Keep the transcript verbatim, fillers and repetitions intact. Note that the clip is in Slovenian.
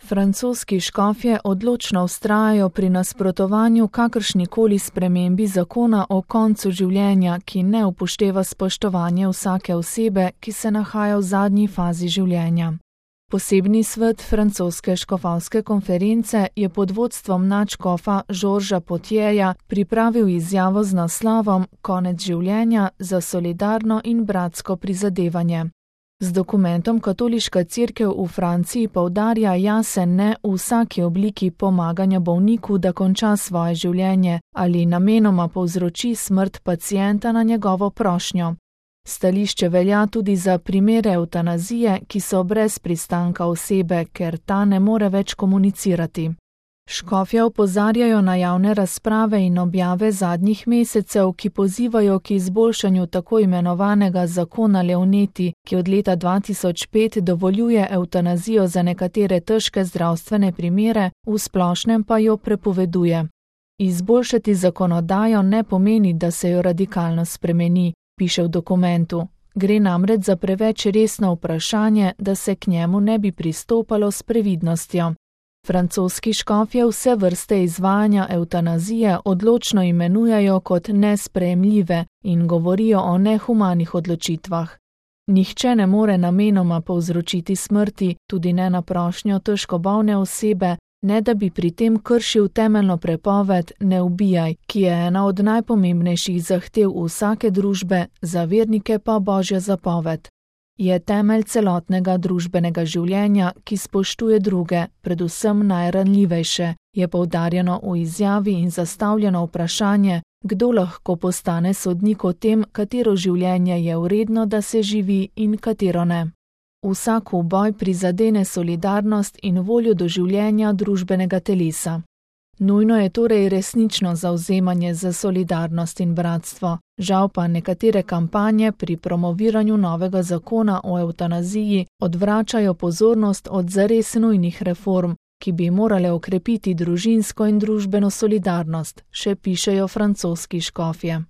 Francoski škofje odločno vztrajajo pri nasprotovanju kakršnikoli spremembi zakona o koncu življenja, ki ne upošteva spoštovanje vsake osebe, ki se nahaja v zadnji fazi življenja. Posebni svet francoske škofovske konference je pod vodstvom nadškofa Žorža Potjeja pripravil izjavo z naslovom Konec življenja za solidarno in bratsko prizadevanje. Z dokumentom Katoliška cerkev v Franciji poudarja jasen ne v vsaki obliki pomaganja bolniku, da konča svoje življenje ali namenoma povzroči smrt pacienta na njegovo prošnjo. Stališče velja tudi za primere evtanazije, ki so brez pristanka osebe, ker ta ne more več komunicirati. Škofje opozarjajo na javne razprave in objave zadnjih mesecev, ki pozivajo k izboljšanju tako imenovanega zakona Leonetti, ki od leta dva tisoč pet dovoljuje evtanazijo za nekatere težke zdravstvene primere, v splošnem pa jo prepoveduje. Izboljšati zakonodajo ne pomeni, da se jo radikalno spremeni, piše v dokumentu. Gre namreč za preveč resno vprašanje, da se k njemu ne bi pristopalo s previdnostjo. Francoski škofje vse vrste izvajanja evtanazije odločno imenujejo kot nesprejemljive in govorijo o nehumanih odločitvah. Nihče ne more namenoma povzročiti smrti, tudi ne na prošnjo težko bolne osebe, ne da bi pri tem kršil temeljno prepoved ne ubijaj, ki je ena od najpomembnejših zahtev vsake družbe, za vernike pa božja zapoved. Je temelj celotnega družbenega življenja, ki spoštuje druge, predvsem najranljivejše, je poudarjeno v izjavi in zastavljeno vprašanje, kdo lahko postane sodnik o tem, katero življenje je vredno, da se živi in katero ne. Vsak uboj prizadene solidarnost in voljo do življenja družbenega telesa. Nujno je torej resnično zavzemanje za solidarnost in bratstvo, žal pa nekatere kampanje pri promoviranju novega zakona o evtanaziji odvračajo pozornost od zares nujnih reform, ki bi morale okrepiti družinsko in družbeno solidarnost, še pišejo francoski škofje.